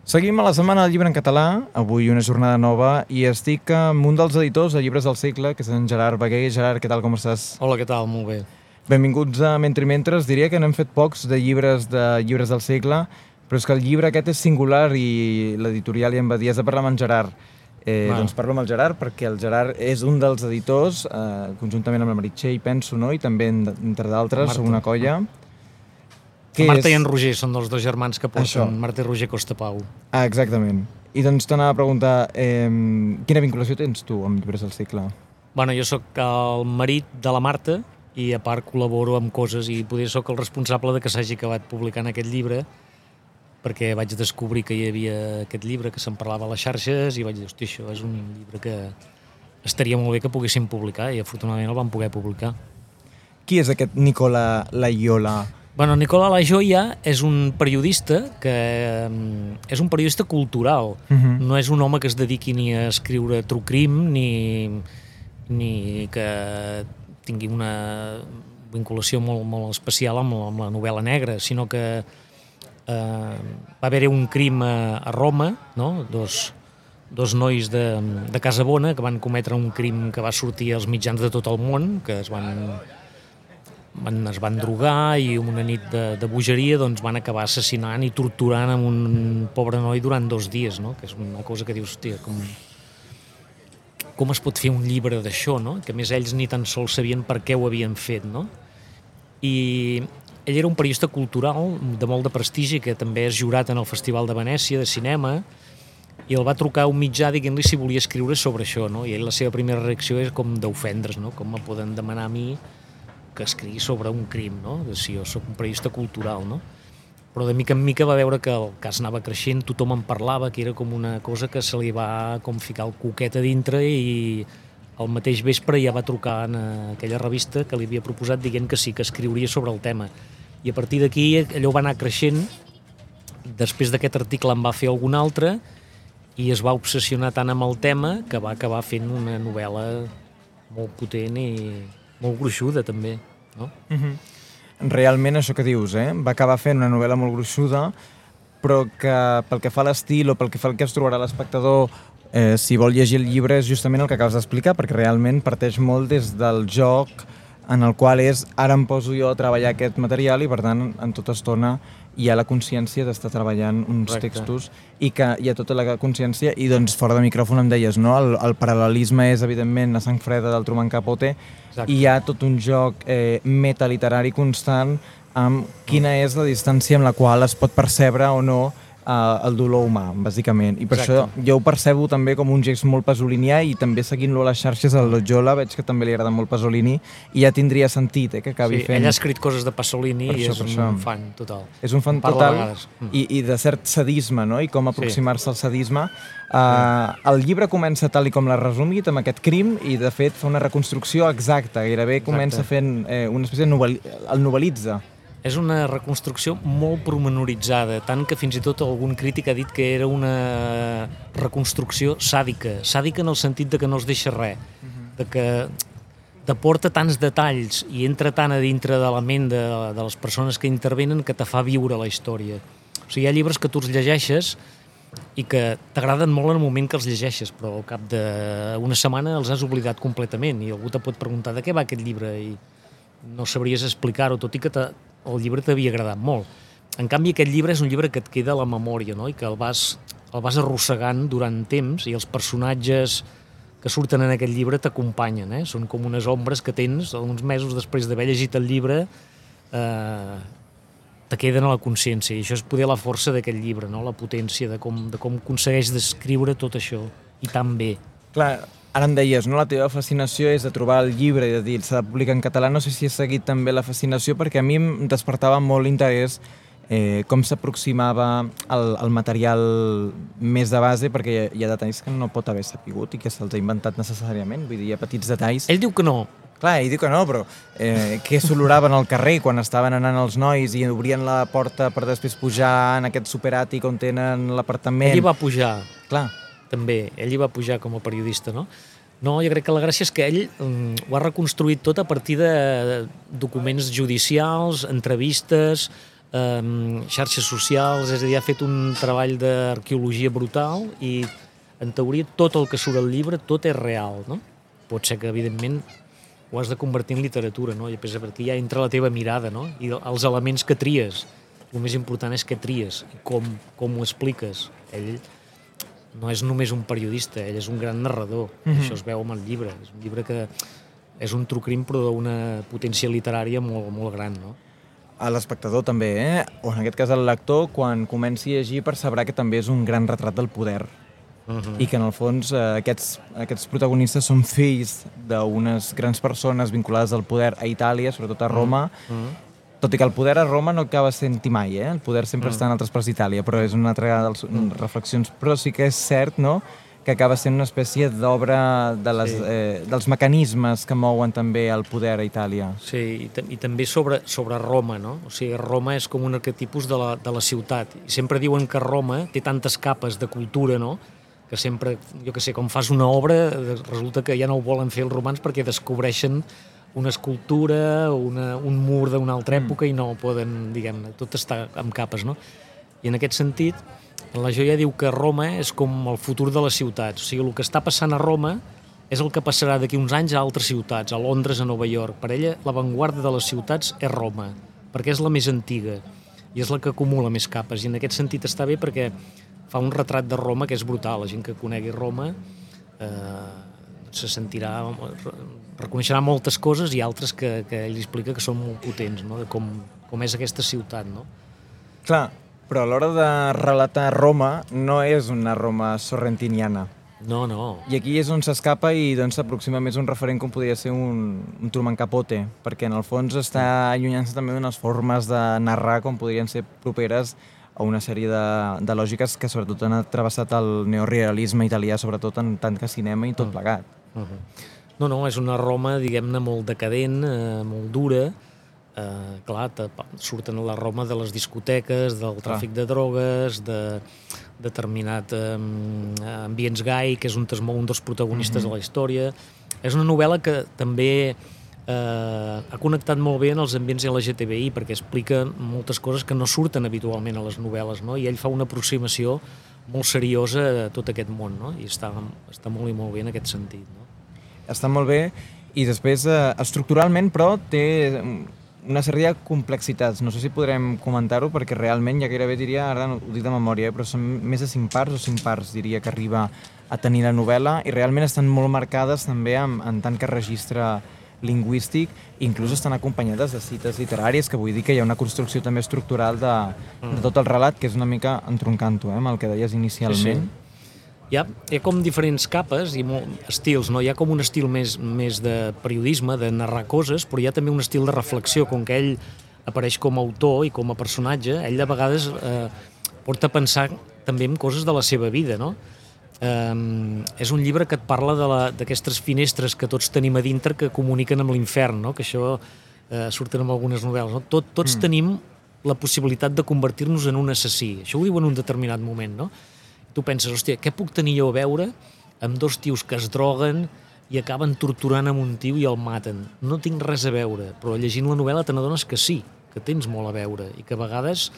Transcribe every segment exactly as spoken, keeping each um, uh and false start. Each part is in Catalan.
Seguim a la Setmana del Llibre en Català, avui una jornada nova, i estic amb un dels editors de Llibres del Segle, que és en Gerard Beguer. Gerard, què tal, com estàs? Hola, què tal? Molt bé. Benvinguts a Mentre i Mentres. Diria que n'hem fet pocs de llibres de Llibres del Segle, però és que el llibre aquest és singular i l'editorial ja em va dir, has de parlar amb en Gerard. Eh, Ah. Doncs parlo amb el Gerard perquè el Gerard és un dels editors, eh, conjuntament amb la Meritxell, penso, no? I també, entre d'altres, Marta. una colla. La Marta i en Roger són dels dos germans que porten, Això. Marta i Roger Costapau. Ah, exactament. I doncs t'anava a preguntar, eh, quina vinculació tens tu amb Llibres del Segle? Bueno, jo sóc el marit de la Marta i a part col·laboro amb coses i potser sóc el responsable de que s'hagi acabat publicant aquest llibre, perquè vaig descobrir que hi havia aquest llibre que se'n parlava a les xarxes i vaig dir, hosti, això és un llibre que estaria molt bé que poguéssim publicar i afortunadament el vam poder publicar. Qui és aquest Nicola Laiola? Bueno, Nicola Lajoia és un periodista que mm, és un periodista cultural. Uh-huh. No és un home que es dediqui ni a escriure true crime ni, ni que tingui una vinculació molt, molt especial amb la, amb la novel·la negra, sinó que eh, va haver-hi un crim a, a Roma, no? dos, dos nois de, de Casabona que van cometre un crim que va sortir als mitjans de tot el món, que es van... Van, es van drogar i una nit de, de bogeria doncs van acabar assassinant i torturant amb un pobre noi durant dos dies, no? Que és una cosa que dius, hòstia, com, com es pot fer un llibre d'això, no? Que a més ells ni tan sols sabien per què ho havien fet, no? I ell era un periodista cultural de molt de prestigi que també és jurat en el Festival de Venècia de cinema i el va trucar un mitjà dient-li si volia escriure sobre això, no? I ell, la seva primera reacció és com d'ofendre's, no? Com me poden demanar a mi que escrigui sobre un crim, no? Si jo sóc un periodista cultural, no? Però de mica en mica va veure que el cas anava creixent, tothom en parlava, que era com una cosa que se li va com ficar el coquet a dintre i el mateix vespre ja va trucar en aquella revista que li havia proposat dient que sí, que escriuria sobre el tema. I a partir d'aquí allò va anar creixent, després d'aquest article en va fer algun altre i es va obsessionar tant amb el tema que va acabar fent una novel·la molt potent i molt gruixuda també, no? Uh-huh. Realment això que dius, eh? Va acabar fent una novel·la molt gruixuda, però que pel que fa a l'estil o pel que fa al que es trobarà l'espectador, eh, si vol llegir el llibre és justament el que acabes d'explicar, perquè realment parteix molt des del joc en el qual és ara em poso jo a treballar aquest material i per tant en tota estona hi ha la consciència d'estar treballant uns Correcte. textos i que hi ha tota la consciència i doncs fora de micròfon em deies, no? El, el paral·lelisme és evidentment a sang freda del Truman Capote. Exacte. I hi ha tot un joc eh, metaliterari constant amb quina és la distància amb la qual es pot percebre o no eh, el dolor humà, bàsicament. I per Exacte. això jo ho percebo també com un gest molt pasolinià i també seguint-lo a les xarxes al Loyola veig que també li agrada molt Pasolini i ja tindria sentit eh, que acabi Sí, fent... ell ha escrit coses de Pasolini Per i això, és per un això. fan total. És un fan Parla total a vegades. Mm. i, i de cert sadisme, no? I com aproximar-se al sadisme. Uh, el llibre comença tal i com l'ha resumit, amb aquest crim, i de fet fa una reconstrucció exacta, gairebé Exacte. comença fent eh, una espècie de novel·li... el novel·litza. És una reconstrucció molt pormenoritzada, tant que fins i tot algun crític ha dit que era una reconstrucció sàdica. Sàdica en el sentit de que no es deixa res, de que t'aporta tants detalls i entra tant a dintre de la ment de, de les persones que intervenen que te fa viure la història. O sigui, hi ha llibres que tu els llegeixes i que t'agraden molt en el moment que els llegeixes, però al cap d'una setmana els has oblidat completament i algú te pot preguntar de què va aquest llibre i no sabries explicar-ho, tot i que te, el llibre t'havia agradat molt. En canvi, aquest llibre és un llibre que et queda a la memòria, no? I que el vas, el vas arrossegant durant temps i els personatges que surten en aquest llibre t'acompanyen, eh? Són com unes ombres que tens uns mesos després d'haver llegit el llibre, eh, te queden a la consciència, i això és poder la força d'aquest llibre, no? La potència de com, de com aconsegueix descriure tot això, i tan bé. Clar, ara em deies, no? La teva fascinació és de trobar el llibre i de dir s'ha de publicar en català. No sé si has seguit també la fascinació, perquè a mi em despertava molt l'interès eh, com s'aproximava el, el material més de base, perquè hi ha, hi ha detalls que no pot haver sapigut i que se'ls ha inventat necessàriament, vull dir, hi ha petits detalls. Ell diu que no. Clar, ell diu que no, però eh, què s'oloraven al carrer quan estaven anant els nois i obrien la porta per després pujar en aquest superàtic on tenen l'apartament? Ell hi va pujar. Clar. També, ell hi va pujar com a periodista, no? No, jo crec que la gràcia és que ell um, ho ha reconstruït tot a partir de documents judicials, entrevistes, eh, xarxes socials, és a dir, ha fet un treball d'arqueologia brutal i, en teoria, tot el que surt al llibre, tot és real, no? Pot ser que, evidentment, ho has de convertir en literatura, no? I perquè ja entra la teva mirada, no? I els elements que tries. El més important és què tries i com, com ho expliques. Ell no és només un periodista, ell és un gran narrador. Mm-hmm. Això es veu amb el llibre. És un llibre que és un true crime però d'una potència literària molt, molt gran, no? A l'espectador també, eh? O en aquest cas el lector, quan comenci a llegir percebrà que també és un gran retrat del poder. Uh-huh. I que en el fons eh, aquests, aquests protagonistes són fills d'unes grans persones vinculades al poder a Itàlia, sobretot a Roma, uh-huh. Tot i que el poder a Roma no acaba sent-hi mai, eh? El poder sempre uh-huh. està en altres parts d'Itàlia, però és una altra de les uh-huh. reflexions. Però sí que és cert, no?, que acaba sent una espècie d'obra de les, sí. eh, dels mecanismes que mouen també el poder a Itàlia. Sí, i, i també sobre, sobre Roma, no? O sigui, Roma és com un arquetipus de la, de la ciutat. I sempre diuen que Roma té tantes capes de cultura, no?, que sempre, jo que sé, com fas una obra, resulta que ja no ho volen fer els romans perquè descobreixen una escultura, una, un mur d'una altra època mm. i no poden, diguem-ne, tot està amb capes, no? I en aquest sentit, la joia diu que Roma és com el futur de les ciutats. O sigui, el que està passant a Roma és el que passarà d'aquí uns anys a altres ciutats, a Londres, a Nova York. Per ella, l'avantguarda de les ciutats és Roma, perquè és la més antiga i és la que acumula més capes. I en aquest sentit està bé perquè fa un retrat de Roma que és brutal. La gent que conegui Roma eh, se sentirà, reconeixerà moltes coses i altres que, que ell explica que són molt potents, no?, de com, com és aquesta ciutat, no? Clar, però a l'hora de relatar Roma no és una Roma sorrentiniana. No, no. I aquí és on s'escapa i doncs s'aproxima més un referent com podria ser un, un Truman Capote, perquè en el fons està allunyant-se també d'unes formes de narrar com podrien ser properes a una sèrie de, de lògiques que sobretot han travessat el neorealisme italià, sobretot en tant que cinema i tot plegat. Uh-huh. No, no, és una Roma, diguem-ne, molt decadent, eh, molt dura. Eh, clar, surten a la Roma de les discoteques, del tràfic ah. de drogues, de determinat eh, ambients gai, que és un, un dels protagonistes uh-huh. de la història. És una novel·la que també eh, ha connectat molt bé en els ambients L G T B I, perquè explica moltes coses que no surten habitualment a les novel·les, no? I ell fa una aproximació molt seriosa a tot aquest món, no? I està, està molt i molt bé en aquest sentit, no? Està molt bé i després eh, estructuralment però té una sèrie de complexitats. No sé si podrem comentar-ho perquè realment ja gairebé diria, ara no ho dic de memòria, però són més de cinc parts o cinc parts diria que arriba a tenir la novel·la i realment estan molt marcades també en, en tant que registre lingüístic, inclús estan acompanyades de cites literàries, que vull dir que hi ha una construcció també estructural de, de tot el relat que és una mica entroncant-ho, eh, amb el que deies inicialment. Sí, sí. Hi ha, hi ha com diferents capes i molt, estils, no? Hi ha com un estil més, més de periodisme, de narrar coses, però hi ha també un estil de reflexió, com que ell apareix com a autor i com a personatge, ell de vegades eh, porta a pensar també en coses de la seva vida, no? Eh, és un llibre que et parla d'aquestes finestres que tots tenim a dintre que comuniquen amb l'infern, no? Que això eh, surten en algunes novel·les, no? Tot, tots mm. tenim la possibilitat de convertir-nos en un assassí. Això ho diu en un determinat moment, no? Tu penses, hòstia, què puc tenir jo a veure amb dos tios que es droguen i acaben torturant amb un tio i el maten? No tinc res a veure, però llegint la novel·la te n'adones que sí, que tens molt a veure i que a vegades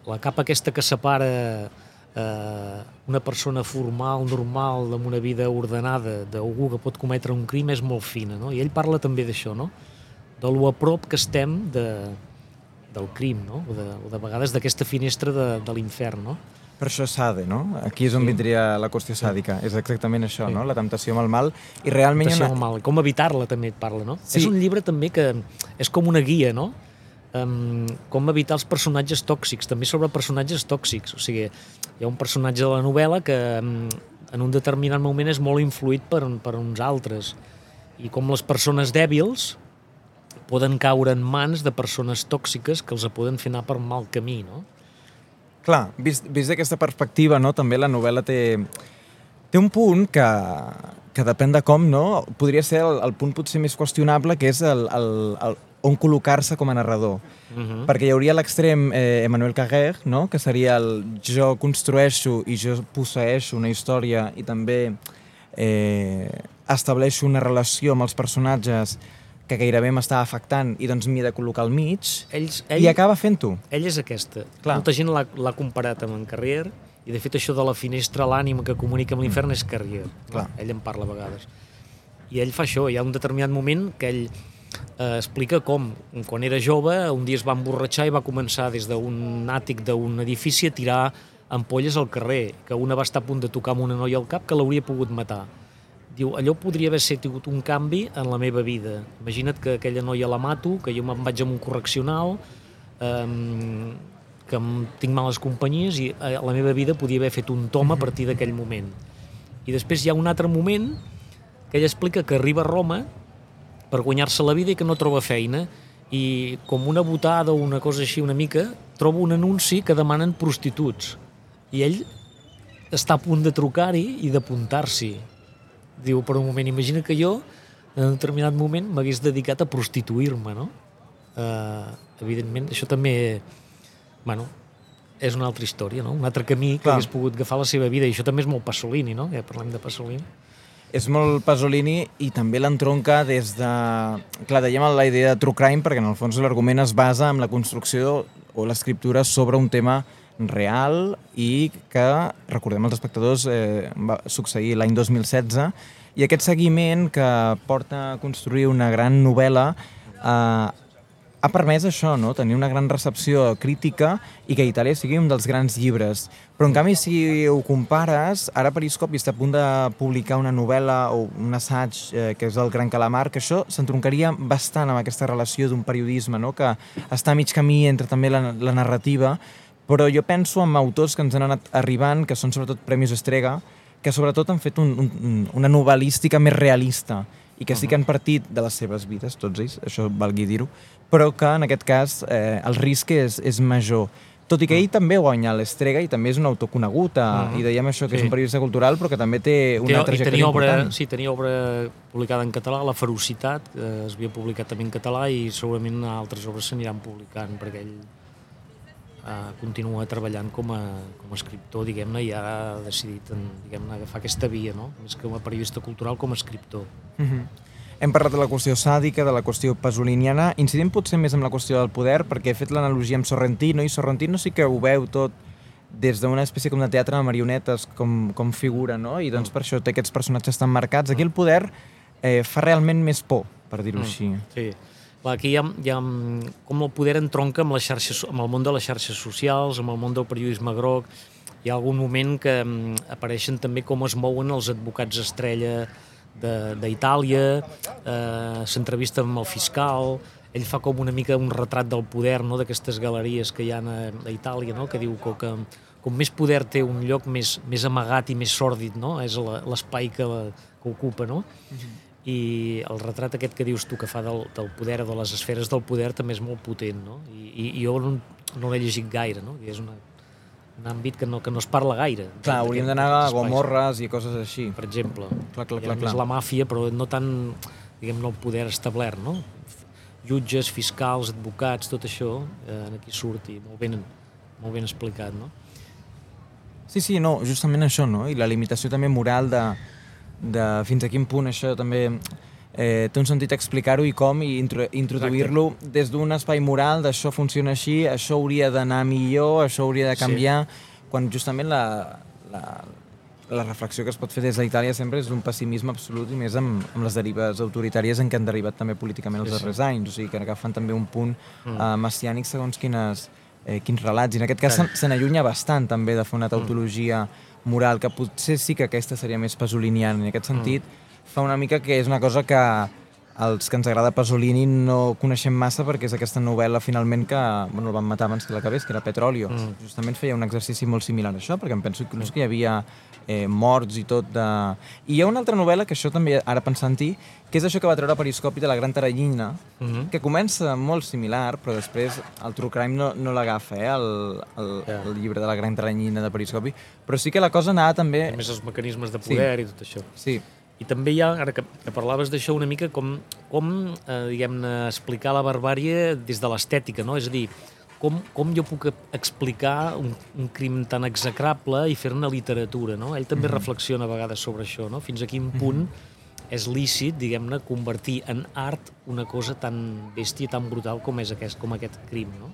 la capa aquesta que separa eh, una persona formal, normal, amb una vida ordenada d'algú que pot cometre un crim és molt fina, no? I ell parla també d'això, no? De lo a prop que estem de, del crim, no? O de, o de vegades d'aquesta finestra de, de l'infern, no? Per això Sade, no? Aquí és on sí. vindria la qüestió sàdica. És exactament això, sí. no? La temptació amb el mal. I realment temptació una... amb el mal. Com evitar-la també et parla, no? Sí. És un llibre també que és com una guia, no? Um, com evitar els personatges tòxics, també sobre personatges tòxics. O sigui, hi ha un personatge de la novel·la que um, en un determinat moment és molt influït per, per uns altres. I com les persones dèbils poden caure en mans de persones tòxiques que els poden fer anar per mal camí, no? Clar, vist, vist d'aquesta perspectiva, no, també la novel·la té, té un punt que, que depèn de com, no? Podria ser el, el punt potser més qüestionable, que és el, el, el, on col·locar-se com a narrador. Uh-huh. Perquè hi hauria l'extrem eh, Emmanuel Carrère, no? Que seria el jo construeixo i jo posseeixo una història i també eh, estableixo una relació amb els personatges que gairebé m'estava afectant i doncs m'hi he de col·locar al mig, Ells, ell, i acaba fent-ho. Ell és aquesta. Clar. Molta gent l'ha comparat amb en Carrier, i de fet això de la finestra a l'ànima que comunica amb l'infern és Carrier. Clar. Ell en parla a vegades. I ell fa això, hi ha un determinat moment que ell eh, explica com, quan era jove, un dia es va emborratxar i va començar des d'un àtic d'un edifici a tirar ampolles al carrer, que una va estar a punt de tocar amb una noia al cap que l'hauria pogut matar. Diu, allò podria haver sigut un canvi en la meva vida. Imagina't que aquella noia la mato, que jo me'n vaig a un correccional, eh, que tinc males companyies i la meva vida podia haver fet un tom a partir d'aquell moment. I després hi ha un altre moment que ell explica que arriba a Roma per guanyar-se la vida i que no troba feina, i com una botada o una cosa així una mica, troba un anunci que demanen prostituts. I ell està a punt de trucar-hi i d'apuntar-s'hi. Diu, per un moment, imagina que jo en un determinat moment m'hagués dedicat a prostituir-me, no? Uh, evidentment, això també, bueno, és una altra història, no? Un altre camí que Clar. hagués pogut agafar la seva vida, i això també és molt Pasolini, no? Ja parlem de Pasolini. És molt Pasolini i també l'entronca des de... Clar, dèiem la idea de true crime perquè en el fons l'argument es basa en la construcció o l'escriptura sobre un tema real i que, recordem els espectadors, eh, va succeir l'any dos mil setze, i aquest seguiment que porta a construir una gran novel·la eh, ha permès això, no? Tenir una gran recepció crítica i que Itàlia sigui un dels grans llibres. Però en canvi, si ho compares, ara Periscopi està a punt de publicar una novel·la o un assaig eh, que és el Gran Calamar, que això s'entroncaria bastant amb aquesta relació d'un periodisme, no? Que està a mig camí entre també la, la narrativa, però jo penso en autors que ens han anat arribant, que són sobretot Premis Estrega, que sobretot han fet un, un, una novel·lística més realista i que sí que han partit de les seves vides, tots ells, això valgui dir-ho, però que en aquest cas eh, el risc és, és major. Tot i que ell també guanya l'Estrega i també és un autor conegut, eh, uh -huh. i dèiem això que sí. és un periodista cultural, però que també té una té, trajectòria obra, important. Sí, tenia obra publicada en català, La Ferocitat, que es havia publicat també en català, i segurament altres obres s'aniran publicant, perquè ell Uh, continua treballant com a, com a escriptor, diguem-ne, i ha decidit diguem-ne, agafar aquesta via, no? Més que com a periodista cultural, com a escriptor. Uh-huh. Hem parlat de la qüestió sàdica, de la qüestió pasoliniana, incidim potser més en la qüestió del poder, perquè he fet l'analogia amb Sorrentino, i Sorrentino sí que ho veu tot des d'una espècie com de teatre de marionetes, com, com figura, no? I doncs per això té aquests personatges tan marcats. Aquí el poder eh, fa realment més por, per dir-ho mm. així. Sí. Clar, aquí hi ha, hi ha com el poder entronca amb, les xarxes, amb el món de les xarxes socials, amb el món del periodisme groc. Hi ha algun moment que um, apareixen també com es mouen els advocats estrella d'Itàlia, eh, s'entrevista amb el fiscal, ell fa com una mica un retrat del poder, no?, d'aquestes galeries que hi ha a, a Itàlia, no?, que diu que, que com més poder té un lloc més, més amagat i més sòrdid, no?, és l'espai que, que ocupa, no? Uh-huh. I el retrat aquest que dius tu que fa del, del poder, de les esferes del poder, també és molt potent, no? I, i jo no, no l'he llegit gaire, no? I és una, un àmbit que no, que no es parla gaire. Clar, hauríem d'anar a Gomorres i coses així. Per exemple. Clar, clar, Hi ha clar, més clar. la màfia, però no tant, diguem-ne, el poder establert, no? Jutges, fiscals, advocats, tot això, eh, aquí surt i molt ben, molt ben explicat, no? Sí, sí, no, justament això, no? I la limitació també moral de de fins a quin punt això també eh, té un sentit explicar-ho i com, i intro, introduir-lo des d'un espai moral d'això funciona així, això hauria d'anar millor, això hauria de canviar, sí. Quan justament la, la, la reflexió que es pot fer des d'Itàlia sempre és d'un pessimisme absolut i més amb, amb les derives autoritàries en què han derivat també políticament els sí, darrers sí. anys, o sigui que agafen també un punt mm. eh, messiànic segons quines, eh, quins relats, i en aquest cas se, se n'allunya bastant també de fer una tautologia mm. moral, que potser sí que aquesta seria més pasoliniana. En aquest sentit, mm. fa una mica que és una cosa que els que ens agrada Pasolini no coneixem massa, perquè és aquesta novel·la finalment que bueno, el van matar abans que l'acabés, que era Petróleo. Mm. Justament feia un exercici molt similar a això, perquè em penso que, que hi havia eh, morts i tot de... I hi ha una altra novel·la, que això també, ara pensant-hi, que és això que va treure Periscopi de La Gran Teranyina, mm-hmm. que comença molt similar, però després el True Crime no, no l'agafa, eh, el, el, yeah. el llibre de La Gran Teranyina de Periscopi, però sí que la cosa anava també... A més, els mecanismes de poder sí. i tot això. Sí. I també hi ha, ara que, que parlaves d'això una mica, com, com eh, diguem-ne, explicar la barbàrie des de l'estètica, no? És a dir, com, com jo puc explicar un, un crim tan execrable i fer-ne literatura, no? Ell també mm-hmm. reflexiona a vegades sobre això, no? Fins a quin punt mm-hmm. és lícit, diguem-ne, convertir en art una cosa tan bèstia, tan brutal com és aquest, com aquest crim, no?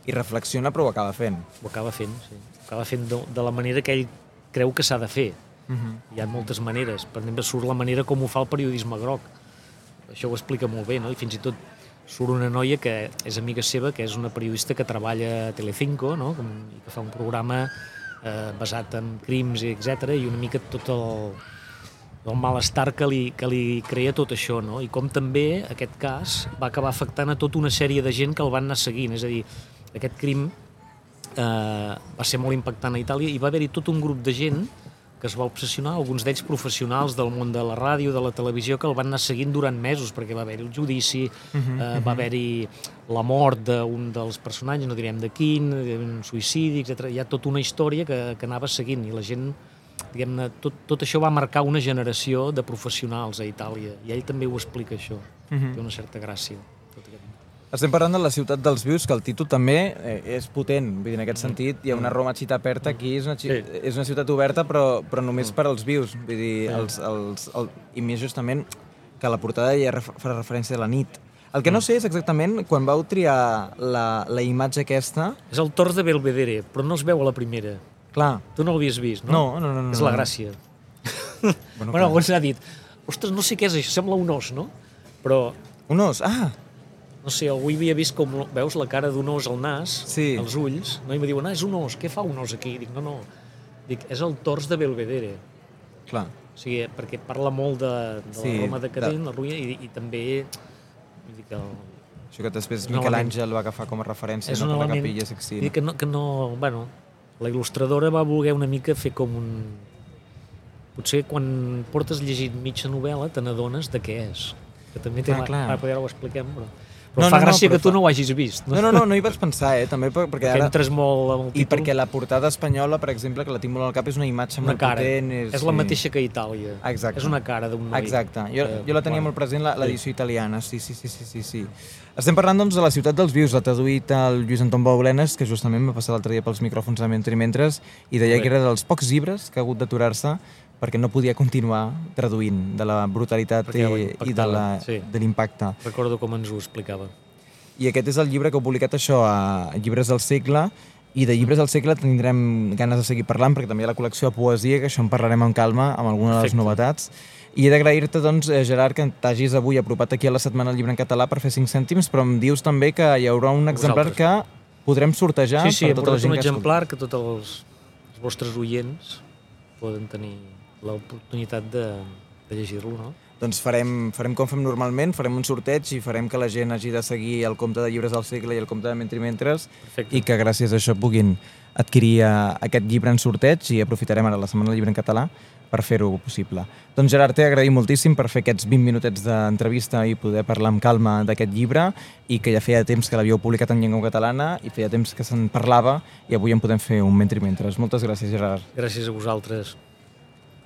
I reflexiona, però ho acaba fent. Ho acaba fent, sí. Ho acaba fent de, de la manera que ell creu que s'ha de fer. Uh-huh. Hi ha moltes maneres. Per exemple, surt la manera com ho fa el periodisme groc. Això ho explica molt bé, no? I fins i tot surt una noia que és amiga seva, que és una periodista que treballa a Telecinco, no? Com, i que fa un programa eh, basat en crims, etcètera, i una mica tot el, el malestar que li, que li crea tot això, no? I com també aquest cas va acabar afectant a tota una sèrie de gent que el van anar seguint. És a dir, aquest crim eh, va ser molt impactant a Itàlia i va haver-hi tot un grup de gent que es va obsessionar, alguns d'ells professionals del món de la ràdio, de la televisió, que el van anar seguint durant mesos, perquè va haver-hi el judici, uh-huh, eh, uh-huh. va haver-hi la mort d'un dels personatges, no direm de quin, un suïcidi, etcètera. Hi ha tota una història que, que anava seguint, i la gent, diguem-ne, tot, tot això va marcar una generació de professionals a Itàlia, i ell també ho explica, això. Uh-huh. Té una certa gràcia. Tot aquest... Estem parlant de la ciutat dels vius, que el títol també eh, és potent. Vull dir, en aquest sentit, hi ha una Roma città aperta, aquí és una, sí. és una ciutat oberta, però, però només per als vius. Vull dir, els, els, el, i més justament que a la portada ja fa referència a la nit. El que no sé és exactament quan vau triar la, la imatge aquesta... És el Tors de Belvedere, però no es veu a la primera. Clar. Tu no l'havies vist, no? No, no, no. no és la gràcia. bueno, bueno algú s'ha dit, ostres, no sé què és això, sembla un os, no? Però... Un os? Ah! No sé, algú hi havia vist com, veus, la cara d'un os al nas, sí. els ulls, no? I em diuen, ah, és un os, què fa un os aquí? Dic, no, no, dic, és el Tors de Belvedere. Clar. O sigui, perquè parla molt de, de sí, la Roma decadent, de... la ruïna, i, i també... Dic, el... Això que després Miquel Àngel va agafar com a referència, no, per la Capella Sixtina. Dic que no, que no, bueno, la il·lustradora va voler una mica fer com un... Potser quan portes llegit mitja novel·la te n'adones de què és. Que també té... Ah, clar. Ara, ara ho expliquem, però... Però no, fa no, gràcia no, que tu fa... no ho hagis vist. No, no, no, no hi vaig pensar, eh? També perquè ara... entres molt amb el títol. I perquè la portada espanyola, per exemple, que la tinc molt al cap, és una imatge una molt cara. potent. És, és la mateixa que a Itàlia. Exacte. És una cara d'un noi. Exacte. Jo, eh, jo la tenia bueno. molt present, l'edició sí. italiana. Sí, sí, sí, sí, sí, sí. Estem parlant, doncs, de la ciutat dels vius. L'ha traduït el Lluís Anton Baulenes, que justament va passar l'altre dia pels micròfons de Mentre i Mentres, i deia Bé. que era dels pocs llibres que ha hagut d'aturar-se perquè no podia continuar traduint de la brutalitat i, i de l'impacte. Sí. Recordo com ens ho explicava. I aquest és el llibre que heu publicat això a Llibres del Segle, i de Llibres del Segle tindrem ganes de seguir parlant, perquè també hi ha la col·lecció de poesia, que això en parlarem amb calma, amb alguna de les Perfecte. novetats. I he d'agrair-te, doncs, Gerard, que t'hagis avui apropat aquí a la Setmana del Llibre en Català per fer cinc cèntims, però em dius també que hi haurà un exemplar que podrem sortejar sí, sí, per tota la gent un que exemplar que tots els, els vostres oients poden tenir l'oportunitat de, de llegir-lo, no? Doncs farem, farem com fem normalment, farem un sorteig i farem que la gent hagi de seguir el compte de Llibres del Segle i el compte de Mentre i Mentres. Perfecte. I que gràcies a això puguin adquirir aquest llibre en sorteig, i aprofitarem ara la Setmana del Llibre en Català per fer-ho possible. Doncs Gerard, t'he agraït moltíssim per fer aquests vint minutets d'entrevista i poder parlar amb calma d'aquest llibre, i que ja feia temps que l'havíeu publicat en llengua catalana i feia temps que se'n parlava, i avui en podem fer un Mentre i Mentres. Moltes gràcies, Gerard. Gràcies a vosaltres.